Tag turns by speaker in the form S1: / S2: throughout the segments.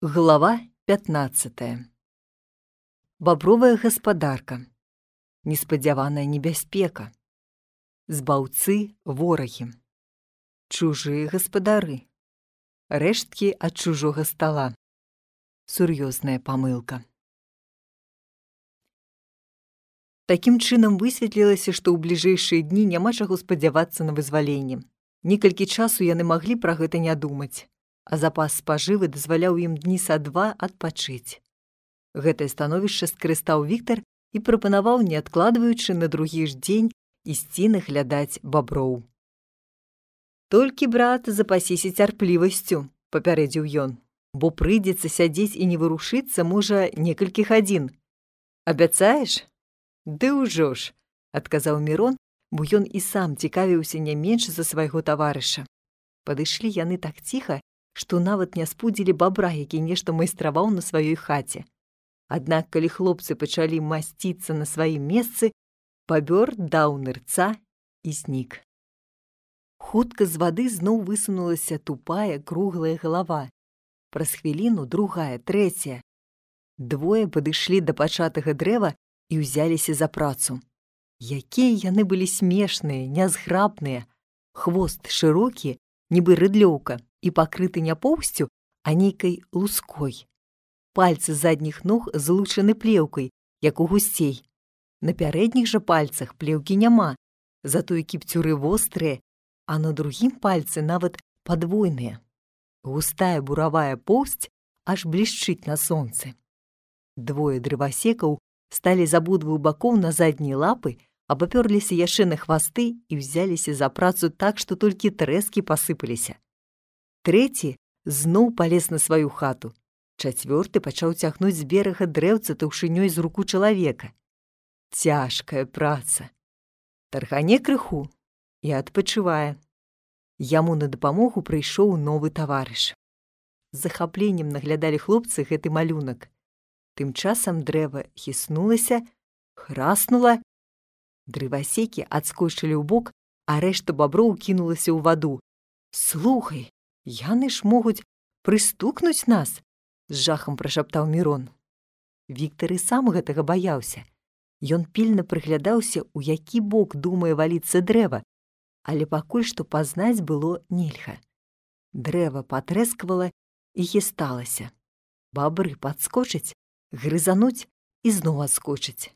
S1: Глава 15. Бабровая гаспадарка. Неспадзяваная небяспека. Збаўцы ворагі. Чужыя гаспадары. Рэшткі ад чужога стала. Сур'ёзная памылка. Такім чынам высветлілася, што ў бліжэйшыя дні няма чаго спадзявацца на вызваленне. Некалькі часу яны маглі пра гэта не думаць, а запас спажывы дазваляў ім дні са два адпачыць. Гэтае становішча скарыстаў Віктар і прапанаваў, не адкладваючы, на другі ж дзень ісці наглядаць баброў. «Толькі, брат, запасіся цярплівасцю», – папярэдзіў ён, «бо прыйдзецца сядзець і не вырушыцца, можа, некалькі гадзін. Абяцаеш?» «Ды ўжо ж», – адказаў Мірон, бо ён і сам цікавіўся не менш за свайго таварыша. Падышлі яны так ціха, што нават не спудзілі бабра, які нешта майстраваў на сваёй хаце. Аднак, калі хлопцы пачалі масціцца на сваім месцы, бабёр даў нырца і знік. Хутка з вады зноў высунулася тупая круглая галава. Праз хвіліну другая, трэцяя. Двое падышлі да пачатага дрэва і ўзяліся за працу. Якія яны былі смешныя, нязграбныя. Хвост шырокі, нібы рыдлёўка, і пакрыты не поўсцю, а нейкай луской. Пальцы задніх ног злучаны плеўкай, як у гусцей. На пярэдніх жа пальцах плеўкі няма, затое кіпцюры вострыя, а на другім пальцы нават падвойныя. Густая буравая поўсць аж блішчыць на сонцы. Двое дрывасекаў сталі з абодвух бакоў на заднія лапы, абапёрліся яшчэ на хвасты і ўзяліся за працу так, што толькі трэскі пасыпаліся. Трэці зноў палез на сваю хату. Чацвёрты пачаў цягнуць з берага дрэўца таўшынёй з руку чалавека. Цяжкая праца. Тархане крыху і адпачывае. Яму на дапамогу прыйшоў новы таварыш. З захапленнем наглядалі хлопцы гэты малюнак. Тым часам дрэва хіснулася, храснула. Дрывасекі адскочылі ўбок, а рэшта баброў кінулася ў ваду. «Слухай, яны ж могуць прыстукнуць нас», – з жахам прашаптаў Мірон. Віктар і сам гэтага баяўся. Ён пільна прыглядаўся, у які бок думае валіцца дрэва, але пакуль што пазнаць было нельга. Дрэва патрэсквала і хісталася. Бабры падскочаць, грызануць і зноў адскочаць.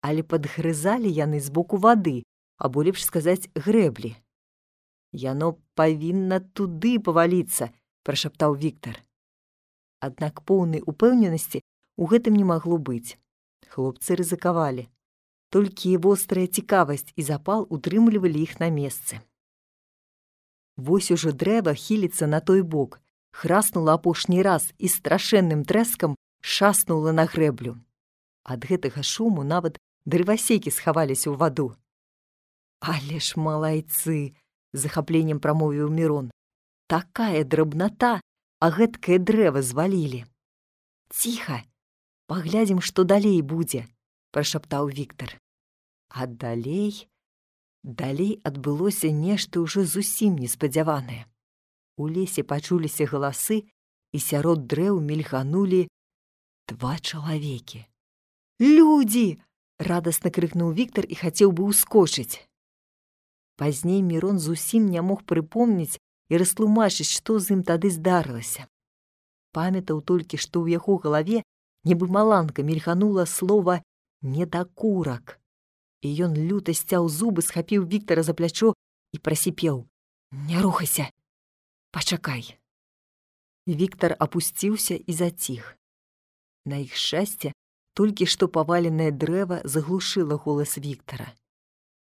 S1: Але падгрызалі яны з боку вады, або, лепш сказаць, грэблі. «Яно павінна туды паваліцца», – прашаптаў Віктар. Аднак поўнай упэўненасці ў гэтым не магло быць. Хлопцы рызыкавалі. Толькі вострая цікавасць і запал утрымлівалі іх на месцы. Вось ужо дрэва хіліцца на той бок, храснула апошні раз і страшэнным трэскам шаснула на грэблю. Ад гэтага шуму нават дрывасекі схаваліся ў ваду. «Але ж малайцы!» – з захапленнем прамовіў Мірон. «Такая драбната, а гэткае дрэва звалілі». «Ціха! Паглядзім, што далей будзе», – прашаптаў Віктар. А далей адбылося нешта ўжо зусім неспадзяванае. У лесе пачуліся галасы, і сярод дрэў мільганулі два чалавекі. «Людзі!» – радасна крыкнуў Віктар і хацеў бы ўскочыць. Пазней Мірон зусім не мог прыпомніць і растлумачыць, што з ім тады здарылася. Памятаў толькі, што ў яго галаве нібы маланка мільганула слова «недакурак». І ён люта сцяў зубы, схапіў Віктара за плячо і прасіпеў: «Не рухайся! Пачакай!» Віктар апусціўся і заціх. На іх шчасце, толькі што паваленае дрэва заглушыла голас Віктара.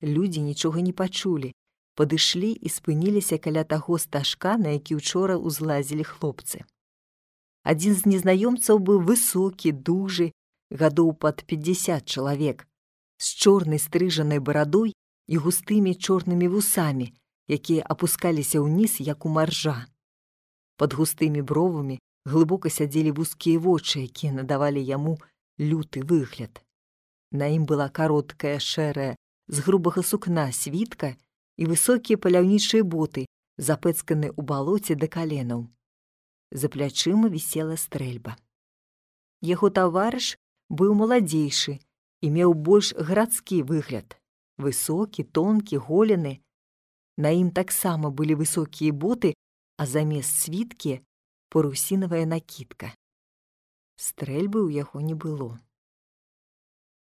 S1: Людзі нічога не пачулі, падышлі і спыніліся каля таго стажка, на які ўчора ўзлазілі хлопцы. Адзін з незнаёмцаў быў высокі, дужы, гадоў пад 50 чалавек, з чорнай стрыжанай барадой і густымі чорнымі вусамі, якія апускаліся ўніз, як у маржа. Пад густымі бровамі глыбока сядзелі вузкія вочы, якія надавалі яму люты выгляд. На ім была кароткая, шэрая, з грубага сукна світка і высокія паляўнічыя боты, запэцканыя ў балоце да каленаў. За плячыма вісела стрэльба. Яго таварыш быў маладзейшы і меў больш гарадскі выгляд. Высокі, тонкі, голены. На ім таксама былі высокія боты, а замест світкі парусінавая накідка. Стрэльбы ў яго не было.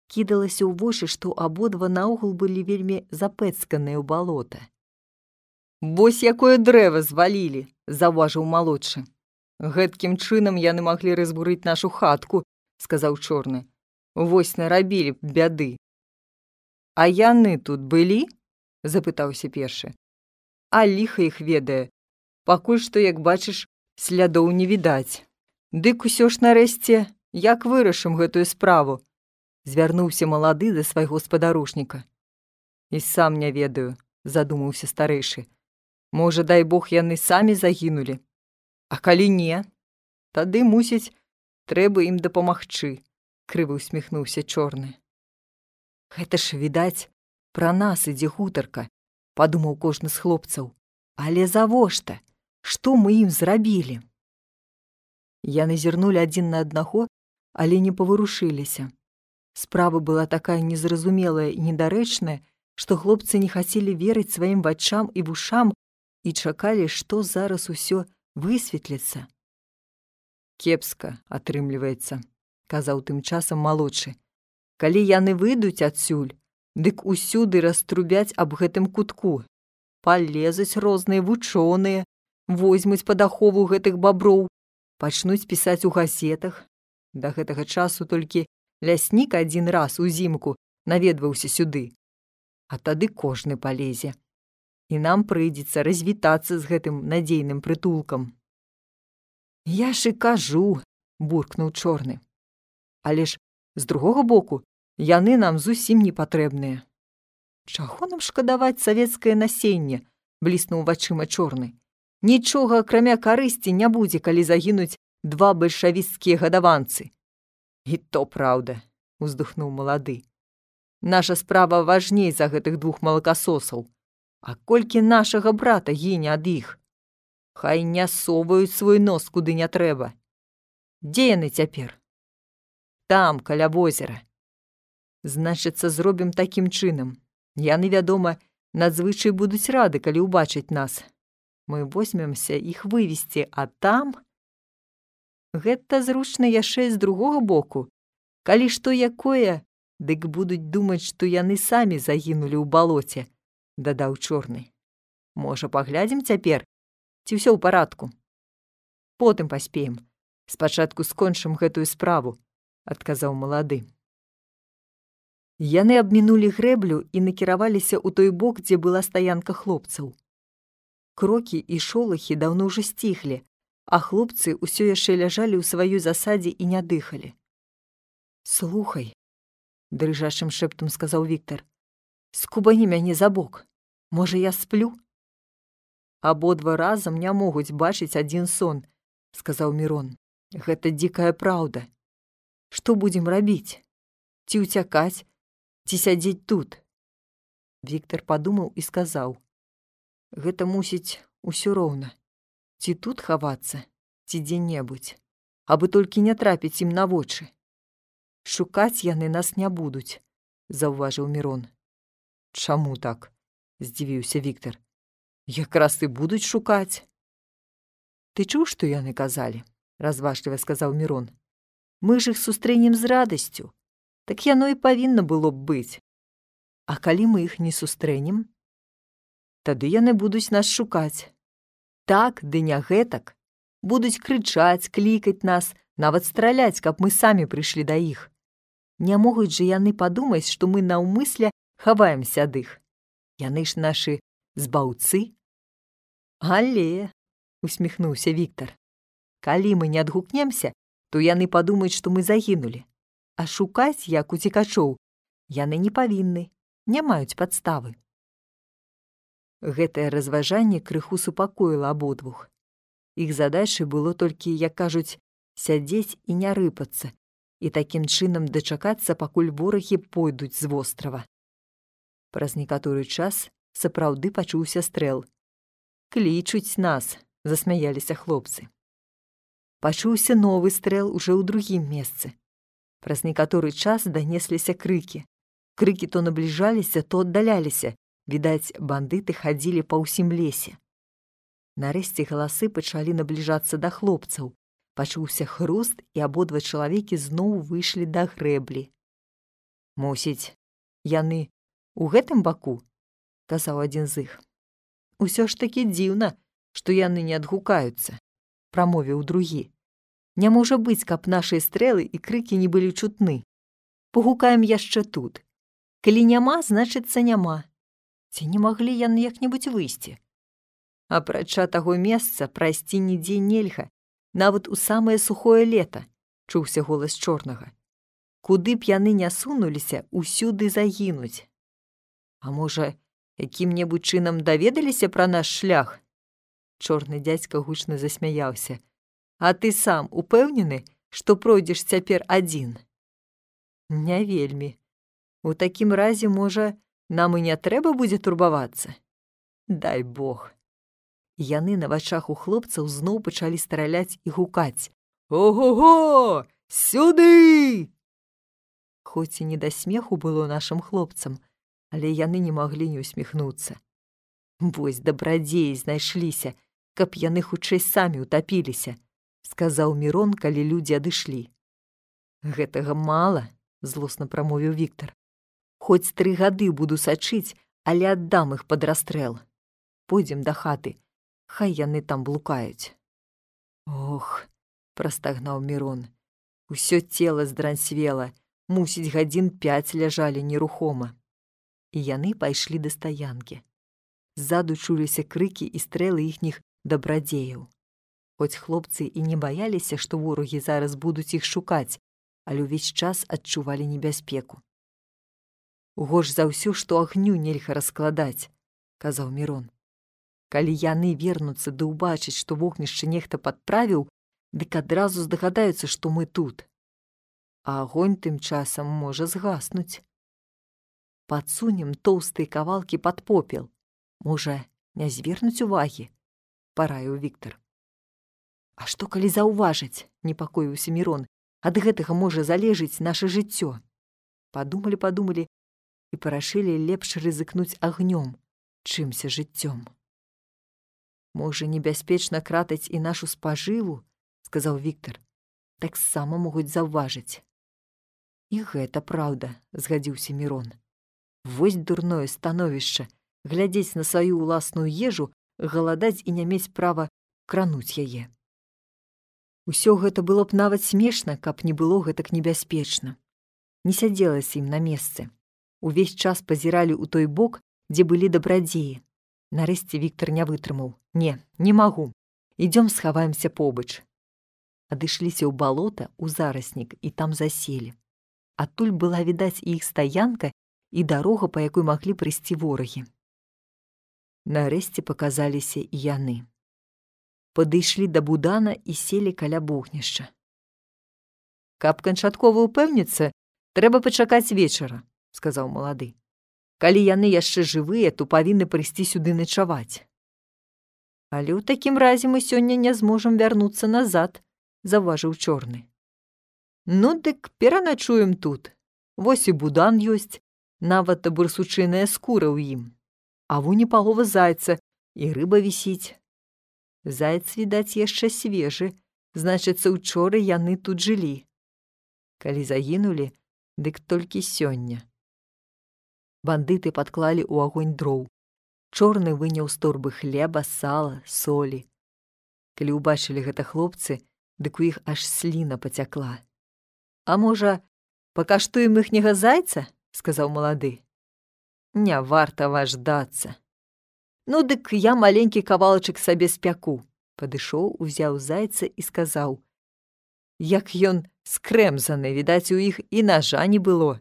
S1: Кідалася ў вочы, што абодва наогул былі вельмі запэцканыя ў балота. «Вось якое дрэва звалілі!» – заўважыў малодшы. «Гэткім чынам яны маглі разбурыць нашу хатку», – сказаў чорны. «Вось нарабілі б бяды». «А яны тут былі?» – запытаўся першы. «А ліха іх ведае. Пакуль што, як бачыш, слядоў не відаць. Дык усё ж нарэшце, як вырашым гэтую справу?» – звярнуўся малады да свайго спадарожніка. «І сам не ведаю», – задумаўся старэйшы. «Можа, дай Бог, яны самі загінулі. А калі не, тады, мусіць, трэба ім дапамагчы», – крыва усміхнуўся чорны. «Гэта ж, відаць, пра нас ідзе гутарка», – падумаў кожны з хлопцаў. «Але завошта? Што мы ім зрабілі?» Яны зірнулі адзін на аднаго, але не паварушыліся. Справа была такая незразумелая і недарэчная, што хлопцы не хацелі верыць сваім вачам і вушам і чакалі, што зараз усё высветліцца. «Кепска атрымліваецца», – казаў тым часам малодшы. «Калі яны выйдуць адсюль, дык усюды раструбяць аб гэтым кутку. Палезуць розныя вучоныя, возьмуць пад ахову гэтых баброў, пачнуць пісаць у газетах. Да гэтага часу толькі ляснік адзін раз узімку наведваўся сюды. А тады кожны палезе. І нам прыйдзецца развітацца з гэтым надзейным прытулкам». «Я ж і кажу», – буркнуў чорны. «Але ж, з другога боку, яны нам зусім не патрэбныя». «Чаго нам шкадаваць савецкае насенне?» – бліснуў вачыма чорны. «Нічога, акрамя карысці, не будзе, калі загінуць 2 бальшавіцкія гадаванцы». «І то праўда», – уздыхнуў малады. «Наша справа важней за гэтых 2 малакасосаў. А колькі нашага брата гіне ад іх? Хай не соваюць свой нос куды не трэба. Дзе яны цяпер?» «Там, каля возера». «Значыцца, зробім такім чынам. Яны, вядома, надзвычай будуць рады, калі ўбачаць нас. Мы возьмемся іх вывесці, а там...» «Гэта зручна яшчэ з другога боку. Калі што якое, дык будуць думаць, што яны самі загінулі ў балоце», – дадаў чорны. «Можа, паглядзім цяпер, ці ўсё ў парадку?» «Потым паспеем. Спачатку скончым гэтую справу», – адказаў малады. Яны абмінулі грэблю і накіраваліся ў той бок, дзе была стаянка хлопцаў. Крокі і шолахі даўно ўжо сціхлі, а хлопцы ўсё яшчэ ляжалі ў сваёй засадзе і не дыхалі. «Слухай», – дрыжачым шэптам сказаў Віктар, – «скубані мяне за бок. Можа, я сплю?» «Абодва разам не могуць бачыць адзін сон», – сказаў Мірон. «Гэта дзікая праўда. Што будзем рабіць? Ці ўцякаць, ці сядзець тут?» Віктар падумаў і сказаў: «Гэта мусіць усё роўна. Ці тут хавацца, ці дзе-небудзь, абы толькі не трапіць ім на вочы. Шукаць яны нас не будуць», – заўважыў Мірон. «Чаму так?» – здзівіўся Віктар. «Якраз і будуць шукаць». «Ты чуў, што яны казалі?» – разважліва сказаў Мірон. «Мы ж іх сустрэнем з радасцю. Так яно і павінна было б быць. А калі мы іх не сустрэнем? Тады яны будуць нас шукаць. Так, ды не гэтак. Будуць крычаць, клікаць нас, нават страляць, каб мы самі прыйшлі да іх. Не могуць жа яны падумаць, што мы наўмысля хаваемся ад іх. Яны ж нашы збаўцы». «Але», – усміхнуўся Віктар, – «калі мы не адгукнемся, то яны падумаюць, што мы загінулі. А шукаць, як уцекачоў, яны не павінны, не маюць падставы». Гэтае разважанне крыху супакоіла абодвух. Іх задачай было толькі, як кажуць, сядзець і не рыпацца, і такім чынам дачакацца, пакуль ворагі пойдуць з вострава. Праз некаторы час сапраўды пачуўся стрэл. «Клічуць нас», – засмяяліся хлопцы. Пачуўся новы стрэл уже ў другім месцы. Праз некаторы час данесліся крыкі. Крыкі то набліжаліся, то аддаляліся. Відаць, бандыты хадзілі па ўсім лесе. Нарэшце галасы пачалі набліжацца да хлопцаў. Пачуўся хруст, і абодва чалавекі зноў выйшлі да грэблі. «Мусіць, яны у гэтым баку?» – казаў адзін з іх. «Усё ж такі дзіўна, што яны не адгукаюцца», – прамовіў другі. «Не можа быць, каб нашыя стрэлы і крыкі не былі чутны. Пагукаем яшчэ тут. Калі няма, значыцца няма. Ці не маглі яны як-небудзь выйсці? Апрача таго месца прайсці нідзе нельга, нават у самае сухое лета», – чуўся голас чорнага. «Куды б яны не сунуліся, усюды загінуць. А можа, якім-небудзь чынам даведаліся пра наш шлях?» Чорны дзядзька гучна засмяяўся. «А ты сам упэўнены, што пройдзеш цяпер адзін?» «Не вельмі. У такім разе, можа, нам і не трэба будзе турбавацца? Дай Бог». Яны на вачах у хлопцаў зноў пачалі страляць і гукаць. «Ого-го! Сюды!» Хоць і не да смеху было нашым хлопцам, але яны не маглі не усміхнуцца. «Вось дабрадзеі знайшліся, каб яны хутчэй самі ўтапіліся», – сказаў Мірон, калі людзі адышлі. «Гэтага мала», – злосна прамовіў Віктар. «Хоць 3 гады буду сачыць, але аддам іх пад расстрэл. Пойдзем да хаты, хай яны там блукаюць». «Ох», – прастагнаў Мірон, – «усё цела здранцвела, мусіць, гадзін 5 ляжалі нерухома». І яны пайшлі да стаянкі. Ззаду чуліся крыкі і стрэлы іхніх дабрадзеяў. Хоць хлопцы і не баяліся, што ворагі зараз будуць іх шукаць, але ўвесь час адчувалі небяспеку. «Горш за ўсё, што агню нельга раскладаць», – казаў Мірон. «Калі яны вернуцца ды ўбачаць, што вогнішча нехта падправіў, дык адразу здагадаюцца, што мы тут. А агонь тым часам можа згаснуць. Падсунем тоўстыя кавалкі пад попел. Можа, не звернуць увагі?» – параіў Віктар. «А што, калі заўважаць?» – непакоіўся Мірон. «Ад гэтага можа залежыць наша жыццё». Падумалі і парашылі лепш рызыкнуць агнём, чымся жыццём. «Можа, небяспечна кратаць і нашу спажыву?» – сказаў Віктар. «Таксама могуць заўважыць». «І гэта праўда», – згадзіўся Мірон. «Вось дурное становішча, глядзець на сваю ўласную ежу, галадаць і не мець права крануць яе. Усё гэта было б нават смешна, каб не было гэтак небяспечна. Не сядзелася ім на месцы. Увесь час пазіралі ў той бок, дзе былі дабрадзеі. Нарэшце Віктар не вытрымаў. Не магу. Ідзём схаваемся побач». Адышліся ў балота, у зараснік, і там заселі. Адтуль была відаць і іх стаянка, і дарога, па якой маглі прыйсці ворагі. Нарэшце паказаліся і яны. Падышлі да будана і селі каля вогнішча. «Каб канчаткова ўпэўніцца, трэба пачакаць вечара», – сказаў малады. «Калі яны яшчэ жывыя, то павінны прыйсці сюды начаваць». «Але ў такім разе мы сёння не зможам вярнуцца назад», – заўважыў чорны. «Ну, дык пераначуем тут. Вось і будан ёсць, нават барсучыная скура ў ім. А вунь і палова зайца, і рыба вісіць. Заяц, відаць, яшчэ свежы, значыцца, учора яны тут жылі. Калі загінулі, дык толькі сёння». Бандыты падклалі ў агонь дроў. Чорны выняў з торбы хлеба, сала, солі. Калі ўбачылі гэта хлопцы, дык у іх аж сліна пацякла. «А можа, пакаштуем іхняга зайца?» – сказаў малады. «Не варта важдацца». «Ну, дык я маленькі кавалачак сабе спяку», – падышоў, узяў зайца і сказаў. «Як ён скрэмзаны, відаць, у іх і нажа не было».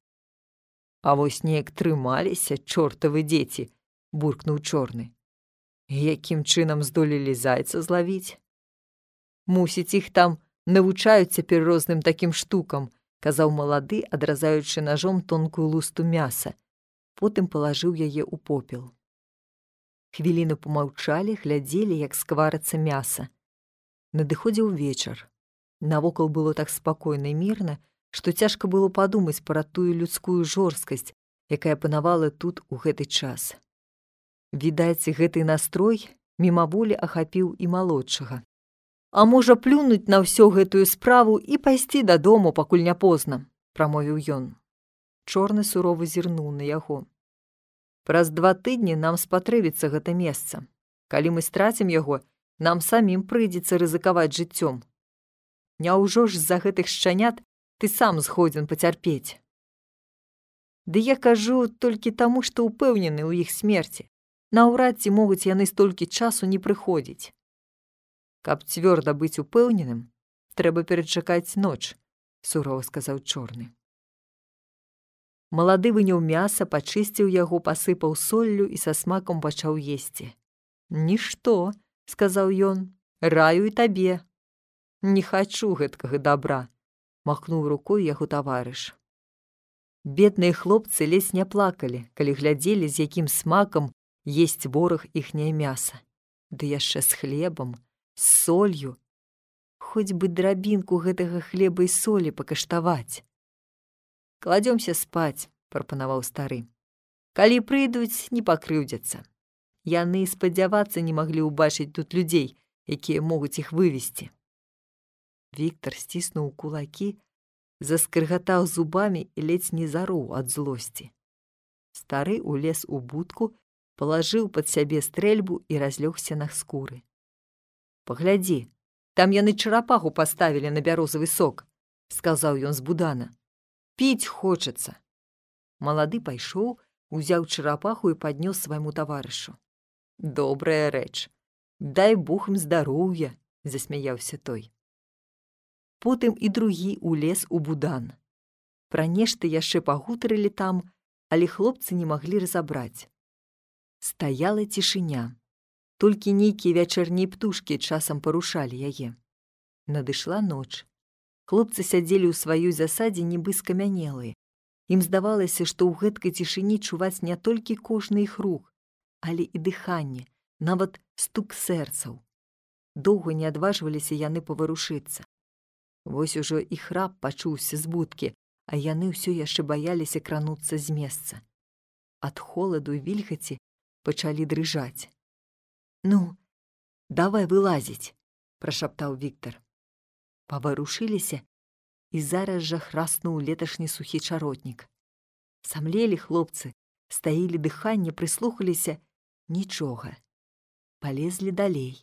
S1: «А вось неяк трымаліся, чортавы дзеці», – буркнуў чорны. «Якім чынам здолелі зайца злавіць?» «Мусіць, іх там навучаюць цяпер розным такім штукам», – казаў малады, адразаючы нажом тонкую лусту мяса. Потым палажыў яе ў попел. Хвіліну помаўчалі, глядзелі, як скварыцца мяса. Надыходзіў вечар. Навокал было так спакойна і мірна, што цяжка было падумаць пра тую людскую жорсткасць, якая панавала тут у гэты час. Відаць, гэты настрой мімаволі ахапіў і малодшага. «А можа плюнуць на ўсё гэтую справу і пайсці дадому, пакуль не позна», – прамовіў ён. Чорны сурова зірнуў на яго. «Праз 2 тыдні нам спатрэбіцца гэта месца. Калі мы страцім яго, нам самім прыйдзецца рызыкаваць жыццём. Няўжо ж з-за гэтых шчанят ты сам згодзін пацярпець?» «Ды я кажу толькі таму, што ўпэўнены ў іх смерці. Наўрад ці могуць яны столькі часу не прыходзіць. Каб цвёрда быць упэўненым, трэба перачакаць ноч», – сурова сказаў чорны. Малады выняў мяса, пачысціў яго, пасыпаў соллю і са смакам пачаў есці. «Нішто», – сказаў ён, – «раю і табе». «Не хачу гэткага дабра», – махнуў рукой яго таварыш. Бедныя хлопцы ледзь не плакалі, калі глядзелі, з якім смакам есць вораг іхняе мяса. Ды яшчэ з хлебам, з солью. Хоць бы драбінку гэтага хлеба і солі пакаштаваць. «Кладзёмся спаць», – прапанаваў стары. «Калі прыйдуць, не пакрыўдзяцца. Яны спадзявацца не маглі ўбачыць тут людзей, якія могуць іх вывесці». Віктар сціснуў кулакі, заскрыгатаў зубамі і ледзь не зароў ад злосці. Стары улез у будку, палажыў пад сябе стрэльбу і разлёгся на скуры. «Паглядзі, там яны чарапаху паставілі на бярозавы сок», – сказаў ён з будана. «Піць хочацца». Малады пайшоў, узяў чарапаху і паднёс свайму таварышу. «Добрая рэч. Дай Бог ім здароўя», – засмяяўся той. Потым і другі улез у будан. Пра нешта яшчэ пагутарылі там, але хлопцы не маглі разабраць. Стаяла цішыня. Толькі нейкія вячэрнія птушкі часам парушалі яе. Надышла ноч. Хлопцы сядзелі ў сваёй засадзе нібы скамянелыя. Ім здавалася, што ў гэткай цішыні чуваць не толькі кожны іх рух, але і дыханне, нават стук сэрцаў. Доўга не адважваліся яны паварушыцца. Вось ужо і храп пачуўся з будкі, а яны ўсё яшчэ баяліся крануцца з месца. Ад холаду і вільгаці пачалі дрыжаць. «Ну, давай вылазіць», – прашаптаў Віктар. Паварушыліся, і зараз жа храснуў леташні сухі чаротнік. Самлелі хлопцы, стаілі дыханне, прыслухаліся – нічога. Палезлі далей.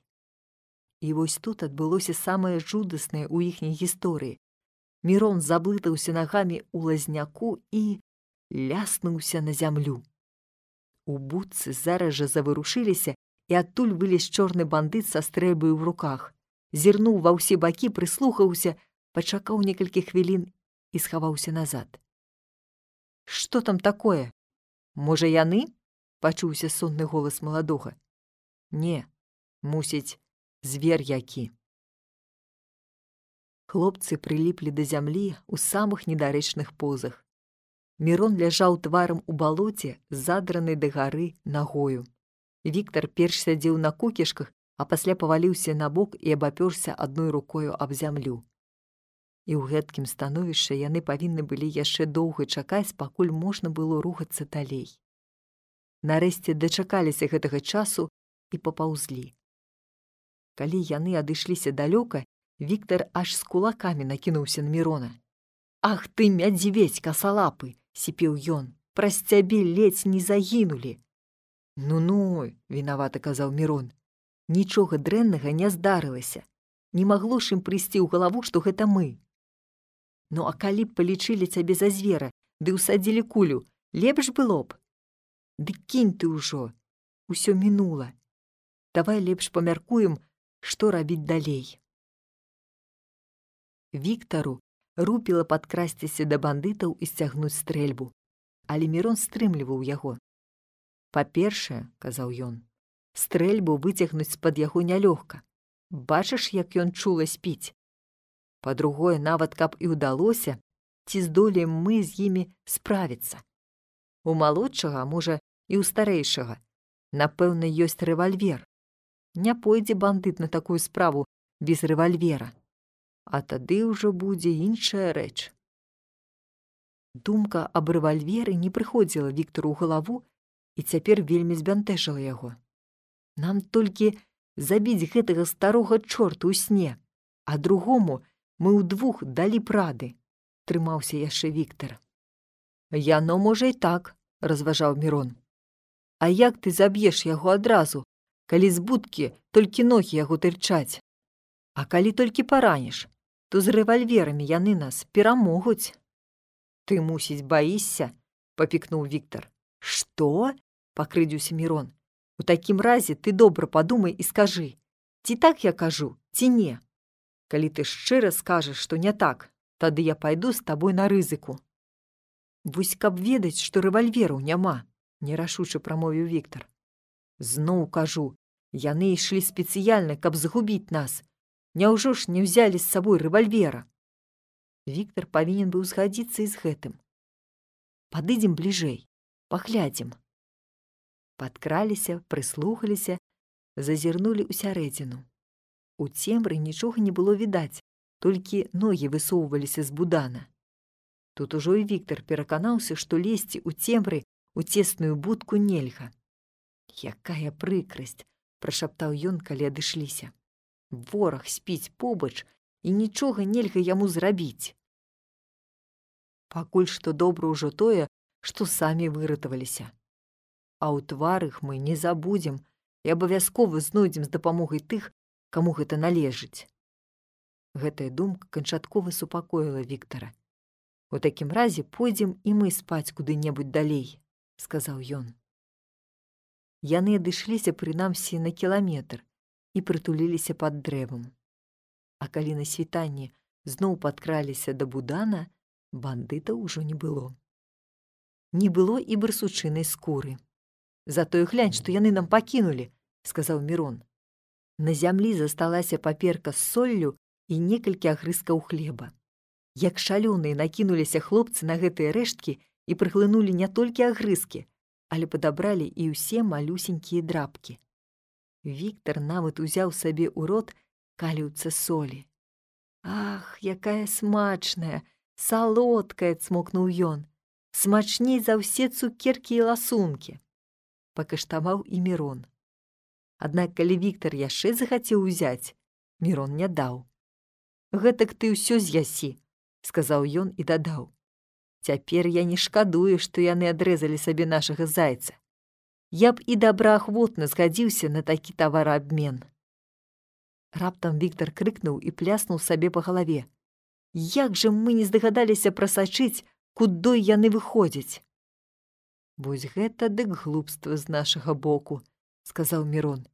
S1: І вось тут адбылося самае жудаснае ў іхняй гісторыі. Мірон заблытаўся нагамі ў лазняку і ляснуўся на зямлю. У будцы зараз жа заварушыліся, і адтуль вылез чорны бандыт са стрэльбай у руках. Зірнуў ва ўсе бакі, прыслухаўся, пачакаў некалькі хвілін і схаваўся назад. «Што там такое? Можа, яны?» – пачуўся сонны голас маладога. «Не, мусіць, звер які». Хлопцы прыліплі да зямлі ў самых недарэчных позах. Мірон ляжаў тварам у балоце, задранай дагары нагою. Віктар перш сядзеў на кукішках, а пасля паваліўся на бок і абапёрся адной рукою аб зямлю. І ў гэткім становішчы яны павінны былі яшчэ доўга чакаць, пакуль можна было рухацца далей. Нарэшце дачакаліся гэтага часу і папаўзлі. Калі яны адышліся далёка, Віктар аж з кулакамі накінуўся на Мірона. «Ах ты, мядзведзь касалапы!» – сіпеў ён. «Праз цябе ледзь не загінулі!» «Ну-ну!» – вінавата казаў Мірон. «Нічога дрэннага не здарылася. Не магло ж ім прыйсці ў галаву, што гэта мы. Ну, а калі б палічылі цябе за звера, ды ўсадзілі кулю, лепш было б? Ды кінь ты ўжо, усё мінула. Давай лепш памяркуем, што рабіць далей». Віктару рупіла падкрасціся да бандытаў і сцягнуць стрэльбу, але Мірон стрымліваў яго. «Па-першае, – казаў ён, – стрэльбу выцягнуць з-пад яго нялёгка. Бачыш, як ён чула спіць? Па-другое, нават каб і ўдалося, ці здолеем мы з імі справіцца? У малодшага, а можа, і ў старэйшага, напэўна, ёсць рэвальвер. Не пойдзе бандыт на такую справу без рэвальвера. а тады ўжо будзе іншая рэч. Думка аб рэвальверы не прыходзіла Віктару ў галаву і цяпер вельмі збянтэжыла яго. Нам толькі забіць гэтага старога чорта ў сне, а другому мы ўдвух далі прады, трымаўся яшчэ Віктар. Яно можа і так, разважаў Мірон. А як ты заб'еш яго адразу, калі з будкі толькі ногі яго тырчаць? А калі толькі параніш, то з рэвальверамі яны нас перамогуць. Ты, мусіць, баішся? Папікнуў Віктар. Што? Пакрыдзіўся Мірон. У такім разе ты добра падумай і скажы, ці так я кажу, ці не. Калі ты шчыра скажаш, што не так, тады я пайду з табой на рызыку. Вось каб ведаць, што рэвальвераў няма, нерашуча прамовіў Віктар. Зноў кажу, яны ішлі спецыяльна, каб згубіць нас. Няўжо ж не ўзялі з сабой рэвальвера? Віктар павінен быў згадзіцца і з гэтым. Падыдзем бліжэй, паглядзім. Падкраліся, прыслухаліся, зазірнулі ўсярэдзіну. У цемры нічога не было відаць, толькі ногі высоўваліся з будана. Тут ужо і Віктар пераканаўся, што лезці ў цемры у цесную будку нельга. Якая прыкрасць, прашаптаў ён, калі адышліся. Вораг спіць побач, і нічога нельга яму зрабіць. Пакуль што добра ўжо тое, што самі выратаваліся. А ў тварах мы не забудзем і абавязкова знойдзем з дапамогай тых, каму гэта належыць. Гэтая думка канчаткова супакоіла Віктара. У такім разе пойдзем і мы спаць куды-небудзь далей, сказаў ён. Яны адышліся прынамсі на кіламетр і прытуліліся пад дрэвам. А калі на світанні зноў падкраліся да будана, бандытаў ужо не было. Не было і барсучынай скуры. Затое глянь, што яны нам пакінулі, сказаў Мірон. На зямлі засталася паперка з соллю і некалькі агрызкаў хлеба. Як шалёныя накінуліся хлопцы на гэтыя рэшткі і прыглынулі не толькі агрызкі, але падабралі і ўсе малюсенькія драпкі. Віктар нават узяў сабе ў рот каліўца солі. Ах, якая смачная, салодкая, цмокнуў ён. Смачней за ўсе цукеркі і ласункі. Пакаштаваў і Мірон. Аднак, калі Віктар яшчэ захацеў узяць, Мірон не даў. Гэтак ты ўсё з'ясі, сказаў ён і дадаў. Цяпер я не шкадую, што яны адрэзалі сабе нашага зайца. Я б і добраахвотна згадзіўся на такі тавараабмен. Раптам Віктар крыкнуў і пляснуў сабе па галаве. Як жа мы не здагадаліся прасачыць, кудой яны выходзяць? Вось гэта дык глупства з нашага боку, сказаў Мірон.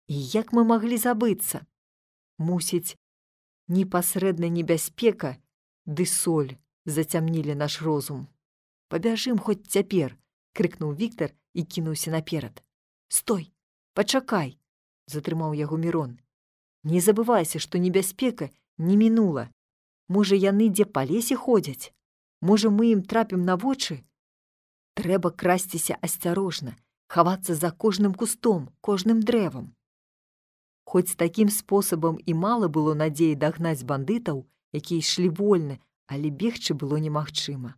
S1: І як мы маглі забыцца? Мусіць, непасрэдна небяспека ды соль зацямнілі наш розум. Пабяжым хоць цяпер, крыкнуў Віктар і кінуўся наперад. Стой, пачакай, затрымаў яго Мірон. Не забывайся, што небяспека не мінула. Можа, яны дзе па лесе ходзяць? Можа, мы ім трапім на вочы? Трэба красціся асцярожна, хавацца за кожным кустом, кожным дрэвам. Хоць такім спосабам і мала было надзеі дагнаць бандытаў, якія ішлі вольна, але бегчы было немагчыма.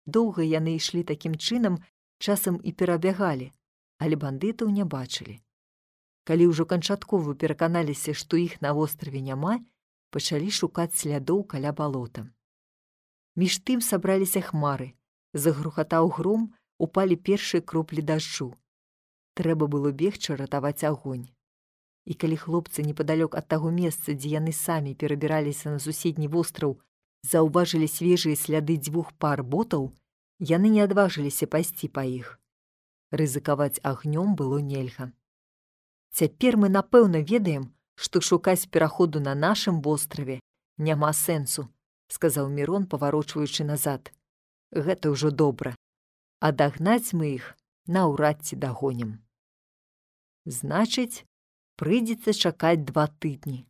S1: Доўга яны ішлі такім чынам, часам і перабягалі, але бандытаў не бачылі. Калі ўжо канчаткова пераканаліся, што іх на востраве няма, пачалі шукаць слядоў каля балота. Між тым сабраліся хмары, загрухатаў гром, упалі першыя кроплі дажджу. Трэба было бегчы ратаваць агонь. І калі хлопцы непадалёк ад таго месца, дзе яны самі перабіраліся на суседні востраў, заўважылі свежыя сляды 2 пар ботаў, яны не адважыліся пайсці па іх. Рызыкаваць агнём было нельга. Цяпер мы напэўна ведаем, што шукаць пераходу на нашым востраве няма сэнсу, сказаў Мірон, паварочваючы назад. Гэта ўжо добра. А дагнаць мы іх наўрад ці дагонім. Значыць, прыйдзецца чакаць 2 тыдні.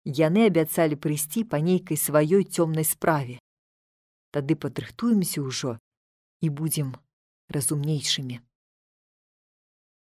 S1: Яны абяцалі прыйсці па нейкай сваёй цёмнай справе. Тады падрыхтуемся ўжо і будзем разумнейшымі.